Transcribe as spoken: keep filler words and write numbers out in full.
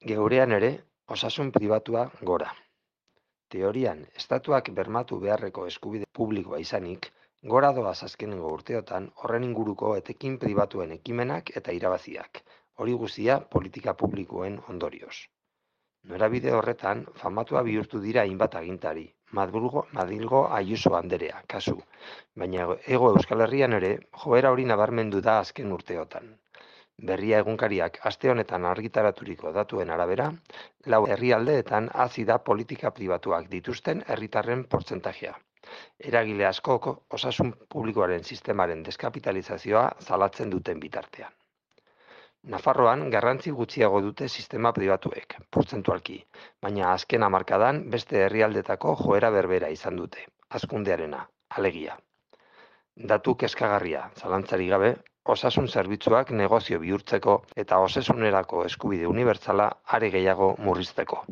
Geurean ere, osasun pribatua gora. Teorian, estatuak bermatu beharreko eskubide publikoa izanik, gora doaz azkenengo urteotan horren inguruko etekin pribatuen ekimenak eta irabaziak, hori guztia politika publikoen ondorioz. Norabide horretan, famatua bihurtu dira hainbat agintari, Madrilgo, Madrilgo Ayuso anderea, kasu, baina hego Euskal Herrian ere joera hori nabarmendu da azken urteotan. Berria egunkariak aste honetan argitaraturiko datuen arabera, lau herrialdeetan hazi da politika pribatuak dituzten herritarren portzentajea. Eragile askok osasun publikoaren sistemaren deskapitalizazioa salatzen duten bitartean. Nafarroan garrantzi gutxiago dute sistema pribatuek, portzentualki, baina azken hamarkadan beste herrialdetako joera berbera izan dute, hazkundearena, alegia. Datu kezkagarria, zalantzarik gabe, osasun zerbitzuak negozio bihurtzeko eta osasunerako eskubide unibertsala are gehiago murrizteko.